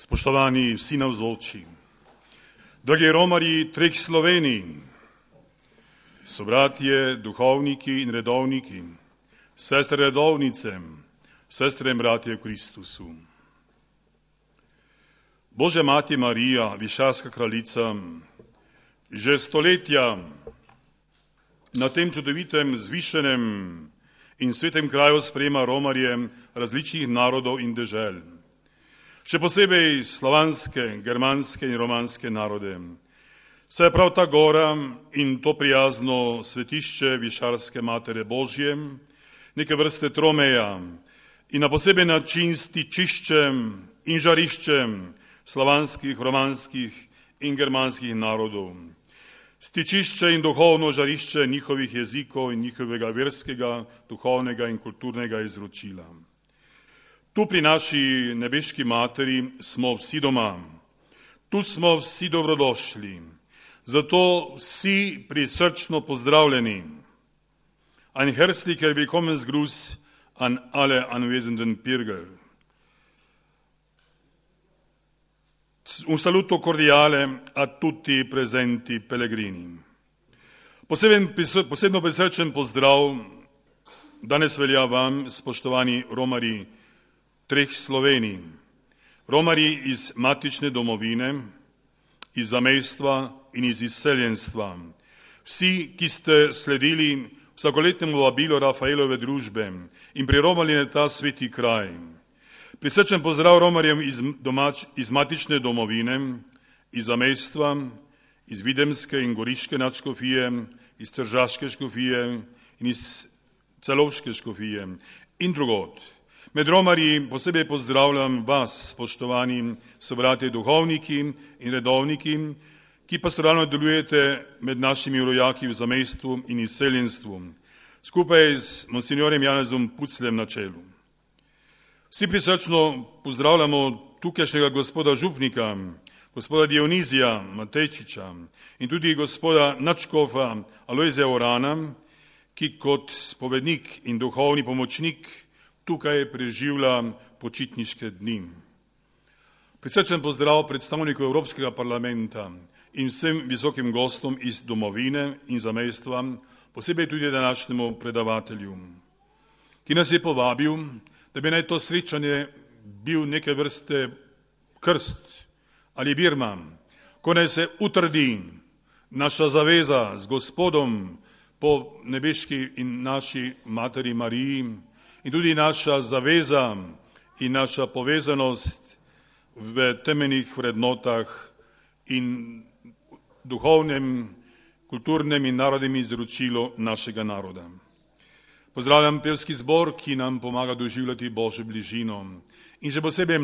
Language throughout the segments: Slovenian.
Spoštovani vsi navzoči, dragi romarji treh Slovenij, sobratje, duhovniki in redovniki, sestre redovnice, sestre in bratje v Kristusu. Božja mati Marija, višarska kraljica, že stoletja na tem čudovitem, zvišenem in svetem kraju sprejema romarje različnih narodov in dežel. Še posebej slovanske, germanske in romanske narode. Saj je prav ta gora in to prijazno svetišče višarske Matere Božje, neke vrste tromeja in na poseben način stičiščem in žariščem slovanskih, romanskih in germanskih narodov. Stičišče in duhovno žarišče njihovih jezikov in njihovega verskega, duhovnega in kulturnega izročila. Tu pri naši nebeški materi smo vsi doma, tu smo vsi dobrodošli, zato vsi prisrčno pozdravljeni. Ein herzlicher Willkommensgruß an alle anwesenden Pilger. Un saluto cordiale a tutti presenti pellegrini. Posebno prisrčen pozdrav danes velja vam, spoštovani romarji treh Slovenij, romarji iz matične domovine, iz zamejstva in iz izseljenstva. Vsi, ki ste sledili vsakoletnemu vabilu Rafaelove družbe in priromali na ta sveti kraj. Prisrčen pozdrav romarjem iz matične domovine, iz zamejstva, iz Videmske in Goriške nadškofije, iz Tržaške škofije in iz Celovške škofije in drugod. Med romarji posebej pozdravljam vas, spoštovani sobratje duhovniki in redovniki, ki pastoralno delujete med našimi rojaki v zamejstvu in izseljenstvu, skupaj s monsignorjem Janezom Pucljem na čelu. Vsi prisrčno pozdravljamo tukajšnjega gospoda župnika, gospoda Dionizija Matejčiča in tudi gospoda nadškofa Alojzija Orana, ki kot spovednik in duhovni pomočnik tukaj preživlja počitniške dni. Prisrčen pozdrav predstavniku Evropskega parlamenta in vsem visokim gostom iz domovine in zamejstva, posebej tudi današnjemu predavatelju, ki nas je povabil, da bi naj to srečanje bil neke vrste krst ali birma, ko naj se utrdi naša zaveza z Gospodom po nebeški in naši materi Mariji in tudi naša zaveza in naša povezanost v temeljnih vrednotah in duhovnem, kulturnem in narodnem izročilu našega naroda. Pozdravljam pevski zbor, ki nam pomaga doživljati Božjo bližino. In še posebej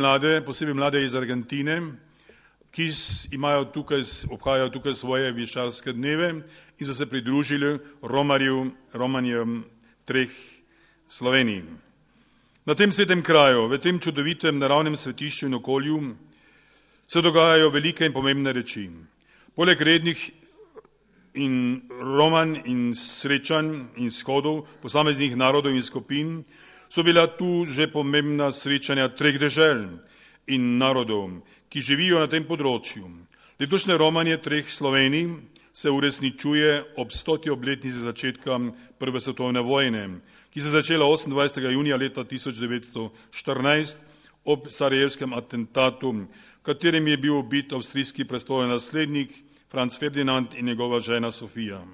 mlade iz Argentine, ki obhajajo tukaj svoje višarske dneve in so se pridružili romarjem treh Sloveniji. Na tem svetem kraju, v tem čudovitem naravnem svetišču in okolju se dogajajo velike in pomembne reči. Poleg rednih in romanj in srečanj in shodov posameznih narodov in skupin so bila tu že pomembna srečanja treh dežel in narodov, ki živijo na tem področju. Letošnje romanje treh Slovenij se uresničuje ob 100. obletnici začetka Prve svetovne vojne, ki se začela 28. junija leta 1914 ob sarajevskem atentatu, v katerem je bil ubit avstrijski prestolonaslednik Franz Ferdinand in njegova žena Sofija.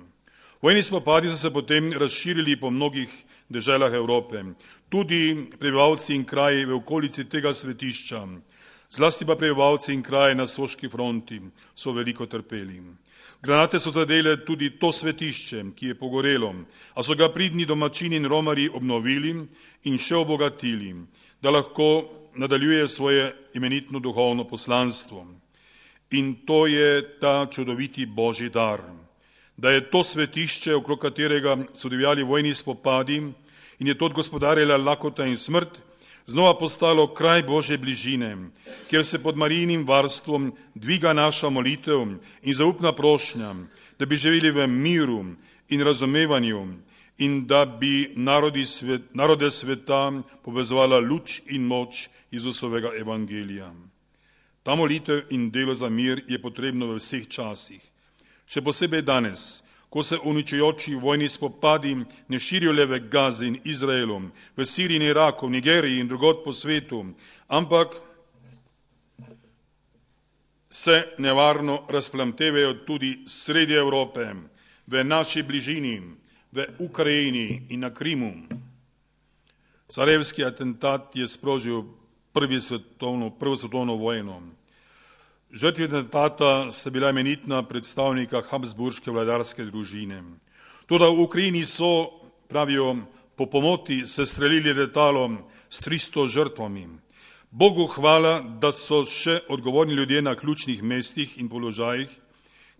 Vojni spopadi so se potem razširili po mnogih deželah Evrope, tudi prebivalci in kraji v okolici tega svetišča, zlasti pa prebivalci in kraji na Soški fronti so veliko trpeli. Granate so zadele tudi to svetišče, ki je pogorelo, a so ga pridni domačini in romarji obnovili in še obogatili, da lahko nadaljuje svoje imenitno duhovno poslanstvo. In to je ta čudoviti Božji dar, da je to svetišče, okrog katerega so divjali vojni spopadi in je to odgospodarjala lakota in smrt, znova postalo kraj Božje bližine, kjer se pod Marijinim varstvom dviga naša molitev in zaupna prošnja, da bi živeli v miru in razumevanju in da bi narode sveta povezovala luč in moč Jezusovega evangelija. Ta molitev in delo za mir je potrebno v vseh časih. Še posebej danes, ko se uničujoči vojni spopadi ne širijo le v Gazi in Izraelu, v Siriji in Iraku, v Nigeriji in drugod po svetu, ampak se nevarno razplamtevajo tudi sredi Evrope, v naši bližini, v Ukrajini in na Krimu. Sarajevski atentat je sprožil prvo svetovno vojno. Žrtvi atentata sta bila imenitna predstavnika habsburške vladarske družine. Toda v Ukrajini so, pravijo, po pomoti sestrelili letalo s 300 žrtvami. Bogu hvala, da so še odgovorni ljudje na ključnih mestih in položajih,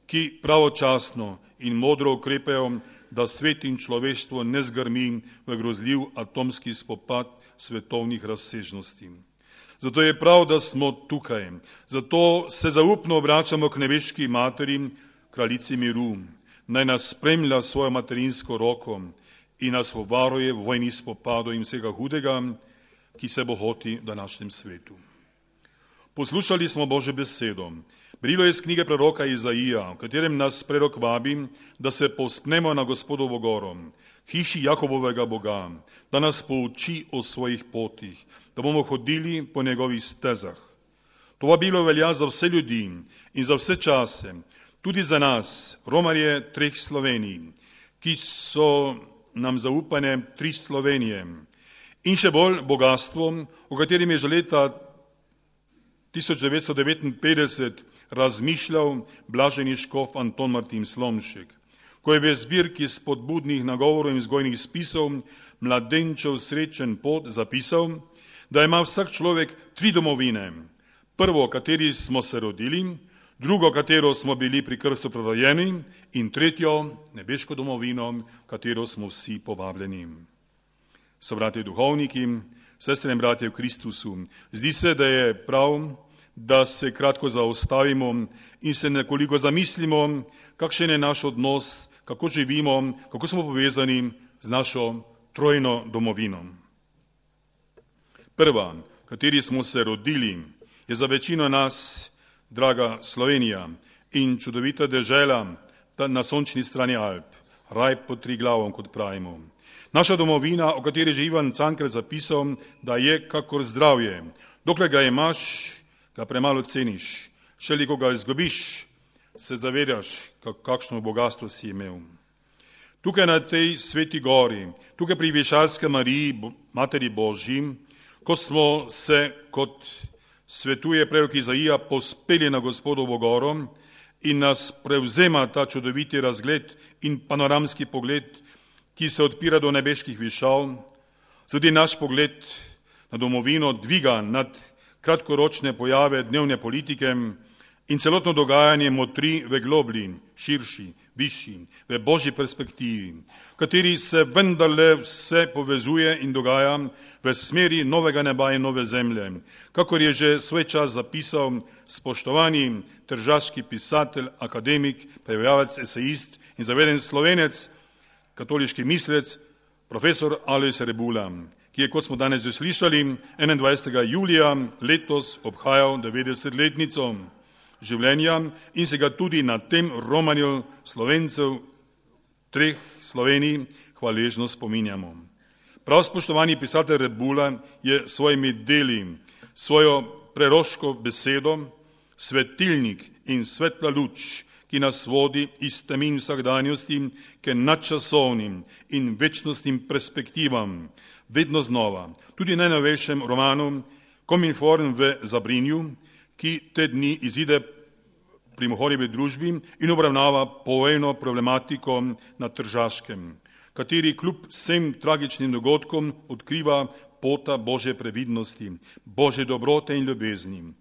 ki pravočasno in modro ukrepajo, da svet in človeštvo ne zgrmi v grozljiv atomski spopad svetovnih razsežnosti. Zato je prav, da smo tukaj. Zato se zaupno obračamo k nebeški materi, kraljici miru. Naj nas spremlja svojo materinsko roko in nas obvaruje v vojni spopadu in vsega hudega, ki se bohoti v današnjem svetu. Poslušali smo Božjo besedo. Brilo je iz knjige proroka Izaija, v katerem nas prerok vabi, da se povzpnemo na Gospodovo goro, hiši Jakobovega Boga, da nas pouči o svojih potih, da bomo hodili po njegovih stezah. To vabilo velja za vse ljudi in za vse čase, tudi za nas, romarje 3 Slovenij, ki so nam zaupane 3 Slovenije in še bolj bogatstvo, o katerem je že leta 1959 razmišljal blaženi škof Anton Martin Slomšek, ko je v zbirki spodbudnih nagovorov in vzgojnih spisov Mladenčev srečen pot zapisal, da ima vsak človek 3 domovine. Prvo, kateri smo se rodili, drugo, katero smo bili pri krstu prerojeni in tretjo, nebeško domovino, katero smo vsi povabljeni. So bratje duhovniki, sestre in bratje v Kristusu, zdi se, da je prav, da se kratko zaustavimo in se nekoliko zamislimo, kakšen je naš odnos, kako živimo, kako smo povezani z našo trojno domovino. Prva, kateri smo se rodili, je za večino nas draga Slovenija in čudovita dežela na sončni strani Alp, raj pod Triglavom, kot pravimo. Naša domovina, o kateri je Ivan Cankar zapisal, da je kakor zdravje. Dokler ga imaš, ga premalo ceniš. Šele ko ga izgubiš, se zavedaš, kakšno bogatstvo si imel. Tukaj na tej sveti gori, tukaj pri Višalski Mariji, Materi Božji, ko smo se, kot svetuje prerok Izaija, pospeli na Gospodovo goro in nas prevzema ta čudoviti razgled in panoramski pogled, ki se odpira do nebeških višav, tudi naš pogled na domovino dviga nad kratkoročne pojave dnevne politike in celotno dogajanje motri v globlji, širši, višji, v božji perspektivi, v kateri se vendarle vse povezuje in dogaja v smeri novega neba in nove zemlje, kakor je že svoj čas zapisal spoštovani tržaški pisatelj, akademik, prevajalec, esejist in zaveden Slovenec, katoliški mislec, profesor Alojz Rebula, ki je, kot smo danes že slišali, 21. julija letos obhajal 90-letnico življenja in se ga tudi na tem romanju Slovencev 3 Slovenij hvaležno spominjamo. Prav spoštovani pisatelj Rebula je svojimi deli, svojo preroško besedo, svetilnik in svetla luč, ki nas vodi iz temin vsakdanjosti k nadčasovnim in večnostnim perspektivam, vedno znova, tudi najnovejšem romanu Kominform v Zabrinju, ki te dni izide pri Mohorjevi družbi in obravnava povojno problematiko na Tržaškem, kateri kljub vsem tragičnim dogodkom odkriva pota Božje previdnosti, Božje dobrote in ljubezni.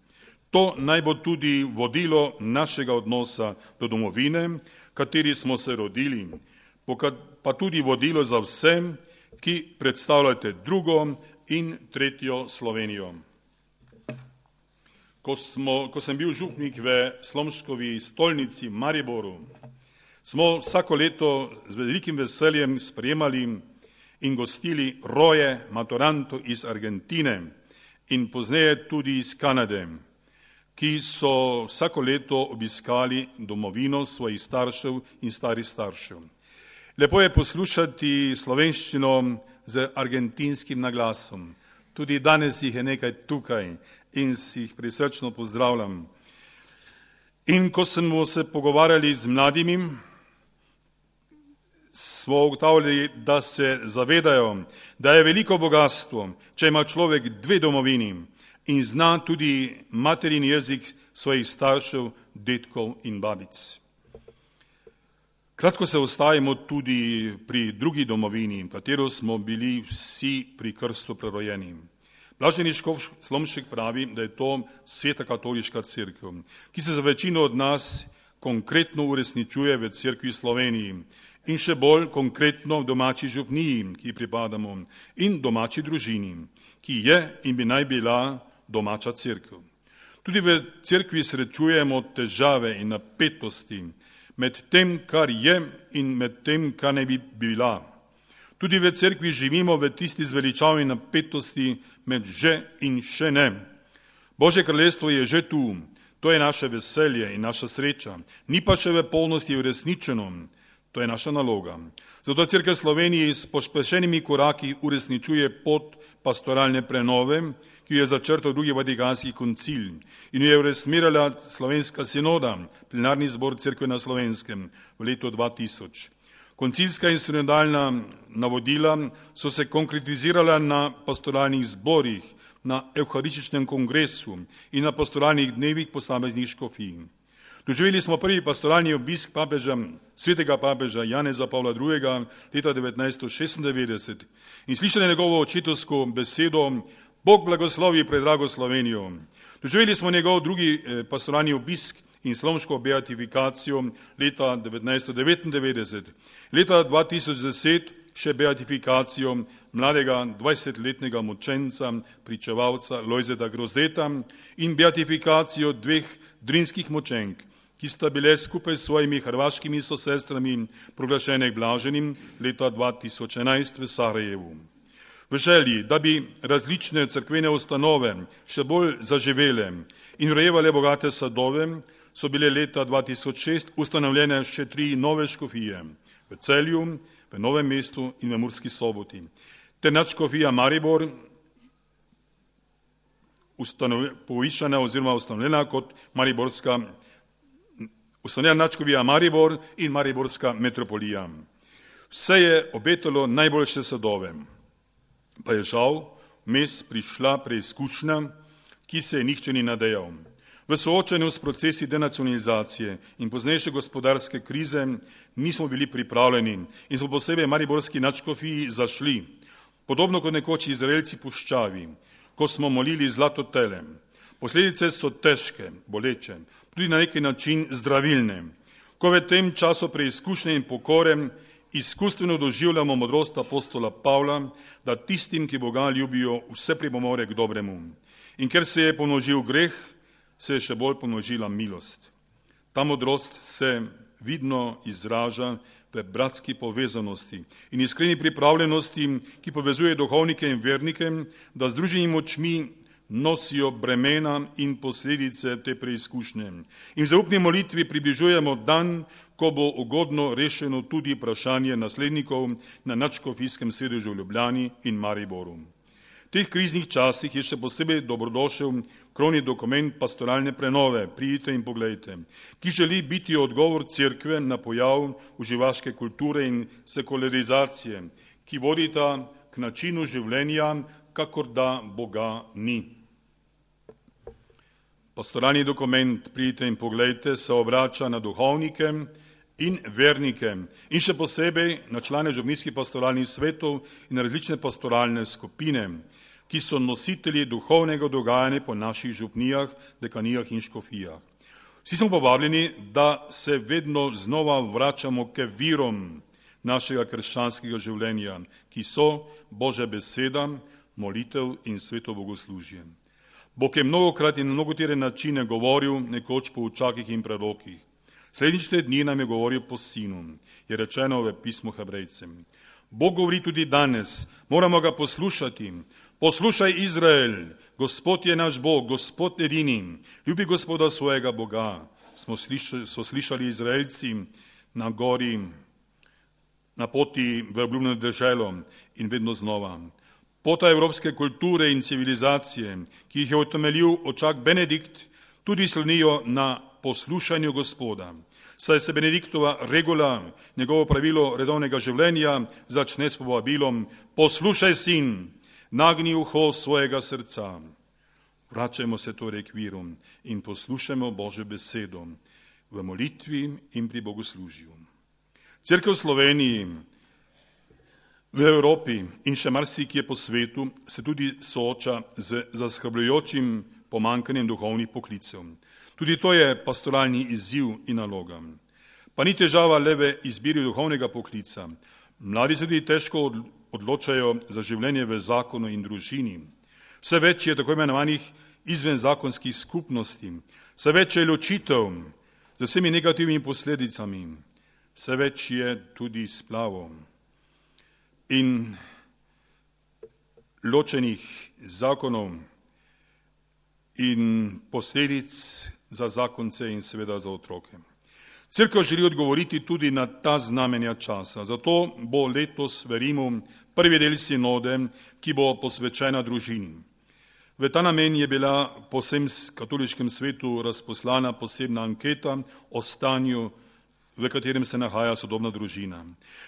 To naj bo tudi vodilo našega odnosa do domovine, kateri smo se rodili, pa tudi vodilo za vse, ki predstavljate drugo in tretjo Slovenijo. Ko sem bil župnik v Slomškovi stolnici Mariboru, smo vsako leto z velikim veseljem sprejemali in gostili roje maturantov iz Argentine in pozneje tudi iz Kanade, ki so vsako leto obiskali domovino svojih staršev in starih staršev. Lepo je poslušati slovenščino z argentinskim naglasom. Tudi danes jih je nekaj tukaj in si jih prisrčno pozdravljam. In ko smo se pogovarjali z mladimi, smo ugotavljali, da se zavedajo, da je veliko bogatstvo, če ima človek dve domovini in zna tudi materin jezik svojih staršev, dedkov in babic. Kratko se ostajamo tudi pri drugi domovini, katero smo bili vsi pri krstu prerojeni. Blaženi škof Slomšek pravi, da je to sveta katoliška cerkev, ki se za večino od nas konkretno uresničuje v cerkvi Sloveniji in še bolj konkretno v domači župniji, ki pripadamo, in domači družini, ki je in bi naj bila domača cerkev. Tudi v cerkvi srečujemo težave in napetosti med tem, kar je in med tem, kar ne bi bila. Tudi v cerkvi živimo v tisti zveličavni napetosti med že in še ne. Božje kraljestvo je že tu, to je naše veselje in naša sreča, ni pa še v polnosti uresničeno, to je naša naloga. Zato Cerkev Sloveniji s pospešenimi koraki uresničuje pot pastoralne prenove, ki jo je začrtal drugi Vatikanski koncil in jo je uresmirala Slovenska sinoda, plenarni zbor Cerkve na Slovenskem v letu 2000. Koncilska in sinodalna navodila so se konkretizirala na pastoralnih zborih, na evharističnem kongresu in na pastoralnih dnevih posameznih škofij. Doživeli smo prvi pastoralni obisk svetega papeža Janeza Pavla II. Leta 1996 in slišali njegovo očetovsko besedo Bog blagoslovi predrago Slovenijo. Doživeli smo njegov drugi pastoralni obisk in slomško beatifikacijo leta 1999. Leta 2010 še beatifikacijo mladega 20-letnega mučenca, pričevalca Lojzeta Grozdeta in beatifikacijo dveh drinskih mučenk, ki sta bile skupaj s svojimi hrvaškimi sosestrami proglašene blaženim leta 2011 v Sarajevu. V želji, da bi različne cerkvene ustanove še bolj zaživele in rojevale bogate sadove, so bile leta 2006 ustanovljene še 3 nove škofije v Celju, v Novem mestu in v Murski Soboti. Ter nadškofija Maribor, povišana oziroma ustanovljena kot ustanovljena nadškofija Maribor in Mariborska metropolija. Vse je obetalo najboljše sadove, pa je žal vmes prišla preizkušnja, ki se je nihče ni nadejal. V soočanju s procesi denacionalizacije in poznejše gospodarske krize nismo bili pripravljeni in smo posebej mariborski nadškofiji zašli, podobno kot nekoč Izraelci puščavi, ko smo molili zlato tele. Posledice so težke, boleče, tudi na neki način zdravilne. Ko v tem času preizkušnje in pokore izkustveno doživljamo modrost apostola Pavla, da tistim, ki Boga ljubijo, vse pripomore k dobremu. In ker se je pomnožil greh, se je še bolj pomnožila milost. Ta modrost se vidno izraža v bratski povezanosti in iskreni pripravljenosti, ki povezuje duhovnike in vernike, da združenimi močmi nosijo bremena in posledice te preizkušnje. In v zaupni molitvi približujemo dan, ko bo ugodno rešeno tudi vprašanje naslednikov na nadškofijskem sedežu v Ljubljani in Mariboru. V teh kriznih časih je še posebej dobrodošel krovni dokument pastoralne prenove, pridite in poglejte, ki želi biti odgovor cerkve na pojav uživaške kulture in sekularizacije, ki vodita k načinu življenja, kakor da Boga ni. Pastoralni dokument, pridite in poglejte, se obrača na duhovnike in vernike in še posebej na člane župnijskih pastoralnih svetov in različne pastoralne skupine, ki so nositelji duhovnega dogajanja po naših župnijah, dekanijah in škofijah. Vsi smo povabljeni, da se vedno znova vračamo k virom našega krščanskega življenja, ki so Božja beseda, molitev in sveto bogoslužje. Bog je mnogokrat in na mnogotere načine govoril nekoč po učakih in prerokih. Slednjič dni nam je govoril po sinu, je rečeno v pismu Hebrejcem. Bog govori tudi danes, moramo ga poslušati. Poslušaj Izrael, Gospod je naš Bog, Gospod edini, ljubi Gospoda svojega Boga, so slišali Izraelci na gori, na poti v obljubljeno deželo in vedno znova. Pota evropske kulture in civilizacije, ki jih je utemeljil očak Benedikt, tudi slonijo na poslušanju Gospoda. Saj se Benediktova regula, njegovo pravilo redovnega življenja, začne s povabilom: poslušaj, sin, nagni uho svojega srca. Vračajmo se torej k viru in poslušajmo Božjo besedo v molitvi in pri bogoslužju. Cerkev v Sloveniji, v Evropi in še marsikje po svetu se tudi sooča z zaskrbljujočim pomanjkanjem duhovnih poklicev. Tudi to je pastoralni izziv in naloga. Pa ni težava le v izbiri duhovnega poklica. Mladi se tudi težko odločajo za življenje v zakonu in družini. Vse več je tako imenovanih izvenzakonskih skupnosti, vse več je ločitev z vsemi negativnimi posledicami, vse več je tudi splavov in ločenih zakonov in posledic za zakonce in seveda za otroke. Cerkev želi odgovoriti tudi na ta znamenja časa, zato bo letos, verimo, prvi del sinode, ki bo posvečena družini. V ta namen je bila po vsem katoliškem svetu razposlana posebna anketa o stanju, v katerem se nahaja sodobna družina.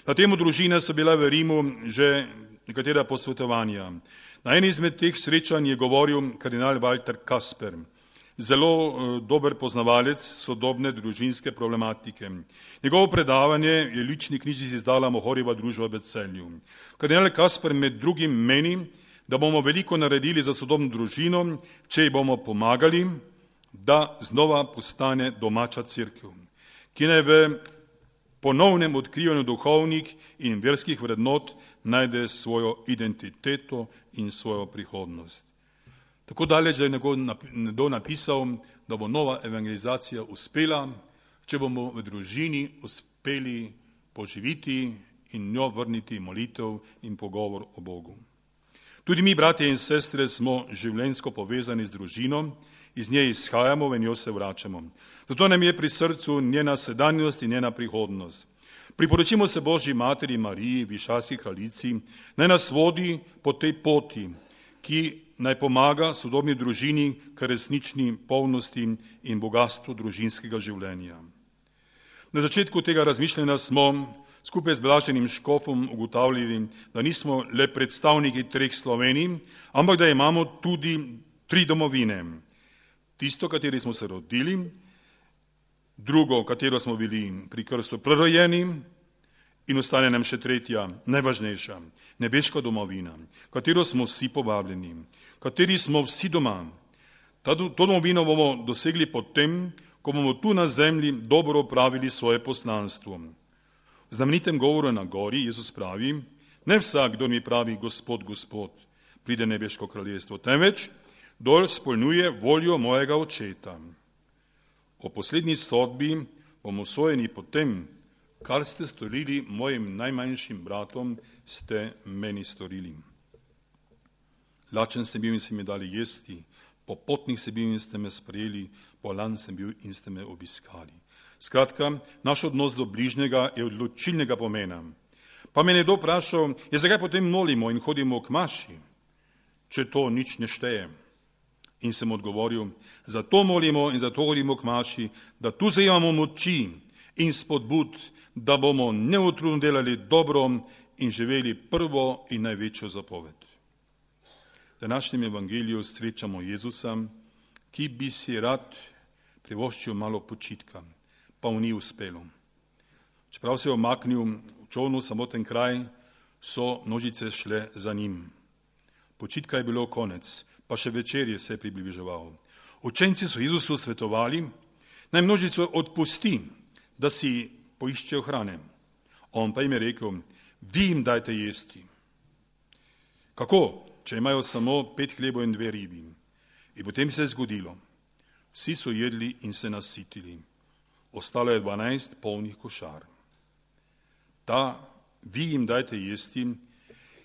Na temo družine so bila v Rimu že nekatera posvetovanja. Na eni izmed teh srečanj je govoril kardinal Walter Kasper, zelo dober poznavalec sodobne družinske problematike. Njegovo predavanje je lični knjižici izdala Mohorjeva družba v Celju. Kardinal Kasper med drugim meni, da bomo veliko naredili za sodobno družino, če ji bomo pomagali, da znova postane domača cerkev, ki naj v ponovnem odkrivanju duhovnih in verskih vrednot najde svojo identiteto in svojo prihodnost. Tako daleč, da je nekdo napisal, da bo nova evangelizacija uspela, če bomo v družini uspeli poživiti in njo vrniti molitev in pogovor o Bogu. Tudi mi, bratje in sestre, smo življenjsko povezani z družino, iz nje izhajamo, v njo se vračamo. Zato nam je pri srcu njena sedanjost in njena prihodnost. Priporočimo se Božji materi Mariji, višarski kraljici, naj nas vodi po tej poti, ki naj pomaga sodobni družini k resnični polnosti in bogastvu družinskega življenja. Na začetku tega razmišljanja smo skupaj z blaženim škofom ugotavljali, da nismo le predstavniki treh Slovenij, ampak da imamo tudi tri domovine. Tisto, kateri smo se rodili, drugo, katero smo bili pri krstu prerojeni, in ostane nam še tretja, najvažnejša, nebeška domovina, katero smo vsi povabljeni, kateri smo vsi doma. To domovino bomo dosegli potem, ko bomo tu na zemlji dobro opravili svoje poslanstvo. V znamenitem govoru na gori Jezus pravi: ne vsak, kdo mi pravi Gospod, Gospod, pride nebeško kraljestvo, temveč kdor izpolnjuje voljo mojega očeta. O poslednji sodbi bomo sojeni po tem, kar ste storili mojim najmanjšim bratom, ste meni storili. Lačen sem bil in ste mi dali jesti, popotnik sem bil in ste me sprejeli, bolan sem bil in ste me obiskali. Skratka, naš odnos do bližnjega je odločilnega pomena. Pa me nekdo vprašal, zakaj potem molimo in hodimo k maši, če to nič ne šteje. In sem odgovoril, zato molimo in zato hodimo k maši, da tu zajemamo moči in spodbud, da bomo neutrudno delali dobro in živeli prvo in največjo zapoved. V današnjem evangeliju srečamo Jezusa, ki bi si rad privoščil malo počitka, pa mu ni uspelo. Čeprav se je omaknil v čolnu samoten kraj, so množice šle za njim. Počitka je bilo konec, pa še večerje se je približeval. Učenci so Jezusu svetovali, naj množico odpusti, da si poiščejo hrane. On pa jim je rekel, vi jim dajte jesti. Kako, če imajo samo 5 hlebov in 2 ribi? In potem se je zgodilo. Vsi so jedli in se nasitili. Ostalo je 12 polnih košar. Ta, vi jim dajte jesti,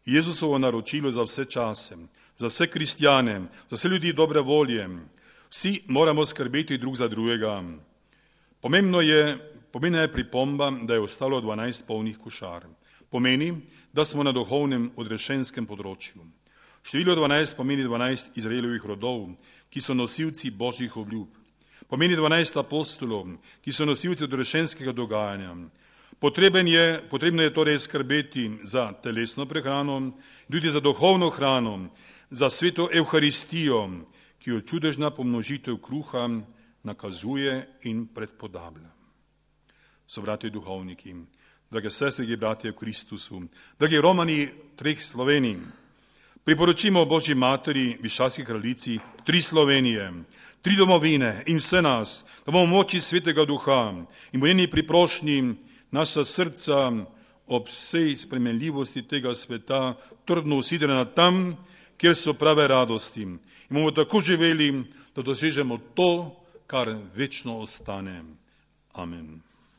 Jezusovo naročilo za vse čase, za vse kristjane, za vse ljudi dobre volje. Vsi moramo skrbeti drug za drugega. Pomembna je pripomba, da je ostalo 12 polnih košar. Pomeni, da smo na duhovnem odrešenskem področju. Število 12 pomeni 12 Izraelovih rodov, ki so nosilci božjih obljub. Pomeni 12 apostolov, ki so nosilci odrešenskega dogajanja. Potrebno je torej skrbeti za telesno prehrano, tudi za duhovno hrano, za sveto Evharistijo, ki jo čudežna pomnožitev kruha nakazuje in predpodablja. Sobrati duhovniki, drage sestre in bratje v Kristusu, dragi Romani treh Slovenij, priporočimo Božji materi, višavski kraljici, 3 Slovenije, 3 domovine in vse nas, da bomo v moči svetega duha in v njeni priprošnji naša srca ob vsej spremenljivosti tega sveta trdno usidrana tam, kjer so prave radosti. In bomo tako živeli, da dosežemo to, kar večno ostane. Amen.